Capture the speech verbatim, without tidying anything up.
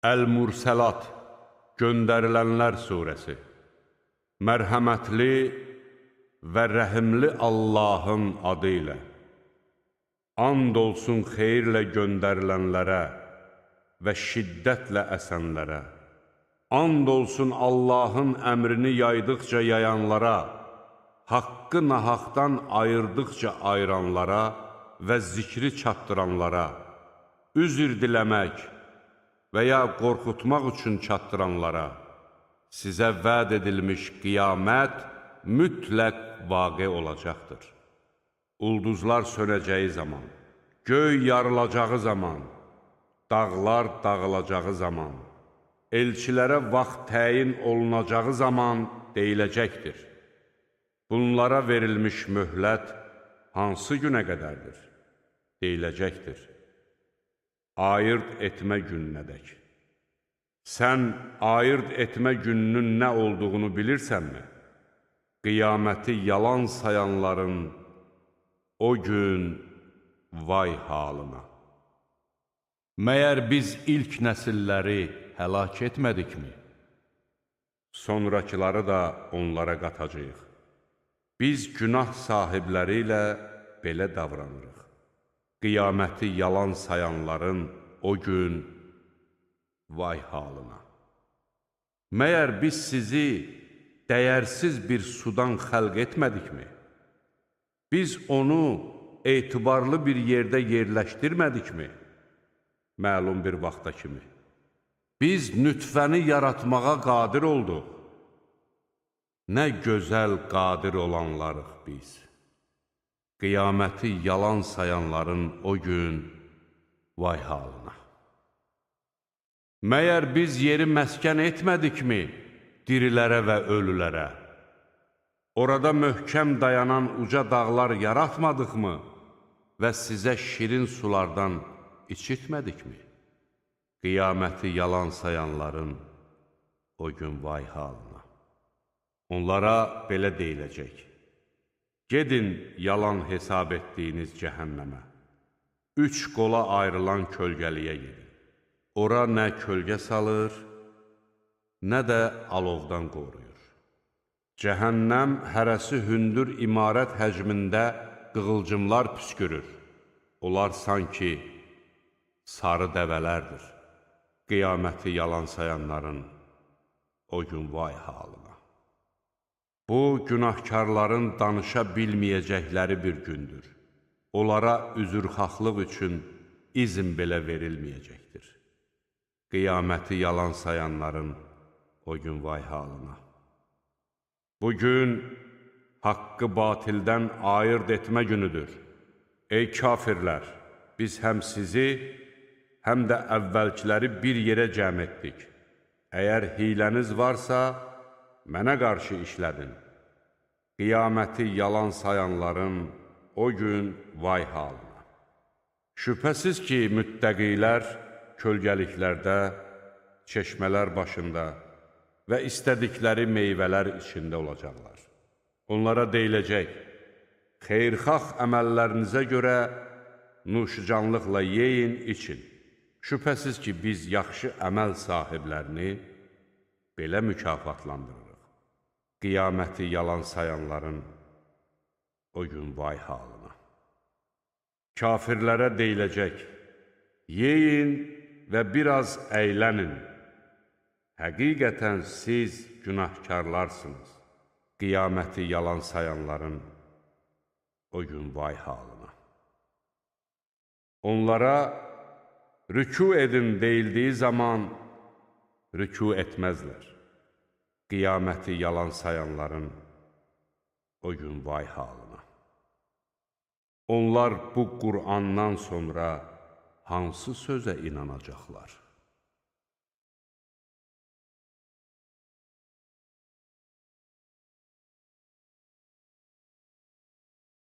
Əl-Mursəlat, Göndərilənlər surəsi. Mərhəmətli və rəhimli Allahın adı ilə. And olsun xeyirlə göndərilənlərə və şiddətlə əsənlərə. And olsun Allahın əmrini yaydıqca yayanlara, haqqı nahaqdan ayırdıqca ayıranlara və zikri çatdıranlara, üzr diləmək və ya qorxutmaq üçün çatdıranlara, sizə vəd edilmiş qiyamət mütləq vaqe olacaqdır. Ulduzlar sönəcəyi zaman, göy yarılacağı zaman, dağlar dağılacağı zaman, elçilərə vaxt təyin olunacağı zaman deyiləcəkdir. Bunlara verilmiş möhlət hansı günə qədərdir? Deyiləcəkdir. Ayırt etmə gününədək. Sən ayırt etmə gününün nə olduğunu bilirsənmi? Qiyaməti yalan sayanların o gün vay halına. Məyər biz ilk nəsilləri həlak etmədikmi? Sonrakıları da onlara qatacağıq. Biz günah sahibləri ilə belə davranırıq. Qiyaməti yalan sayanların o gün vay halına. Məyər biz sizi dəyərsiz bir sudan xəlq etmədikmi? Biz onu etibarlı bir yerdə yerləşdirmədikmi? Məlum bir vaxta kimi. Biz nütfəni yaratmağa qadir olduq. Nə gözəl qadir olanlarıq biz. Qiyaməti yalan sayanların o gün vay halına. Məyər biz yeri məskən etmədikmi dirilərə və ölülərə? Orada möhkəm dayanan uca dağlar yaratmadıqmı və sizə şirin sulardan içitmədikmi? Qiyaməti yalan sayanların o gün vay halına. Onlara belə deyiləcək. Gedin yalan hesab etdiyiniz cəhənnəmə. Üç qola ayrılan kölgəliyə gedin. Ora nə kölgə salır, nə də alovdan qoruyur. Cəhənnəm hərəsi hündür imarət həcmində qığılcımlar püskürür. Onlar sanki sarı dəvələrdir. Qiyaməti yalan sayanların o gün vay halına. Bu, günahkarların danışa bilməyəcəkləri bir gündür. Onlara üzrxahlıq üçün izin belə verilməyəcəkdir. Qiyaməti yalan sayanların o gün vay halına. Bugün haqqı batildən ayırt etmə günüdür. Ey kafirlər, biz həm sizi, həm də əvvəlkiləri bir yerə cəm etdik. Əgər hiləniz varsa, mənə qarşı işlədin. Qiyaməti yalan sayanların o gün vay halına. Şübhəsiz ki, müttəqilər kölgəliklərdə, çeşmələr başında və istədikləri meyvələr içində olacaqlar. Onlara deyiləcək, xeyrxax əməllərinizə görə nuşcanlıqla yeyin, için. Şübhəsiz ki, biz yaxşı əməl sahiblərini belə mükafatlandırırıq. Qiyaməti yalan sayanların o gün vay halına. Kafirlərə deyiləcək, yeyin və biraz əylənin. Həqiqətən siz günahkarlarsınız. Qiyaməti yalan sayanların o gün vay halına. Onlara rükû edin deyildiyi zaman rükû etməzlər. Qiyaməti yalan sayanların o gün vay halına. Onlar bu Qur'andan sonra hansı sözə inanacaqlar?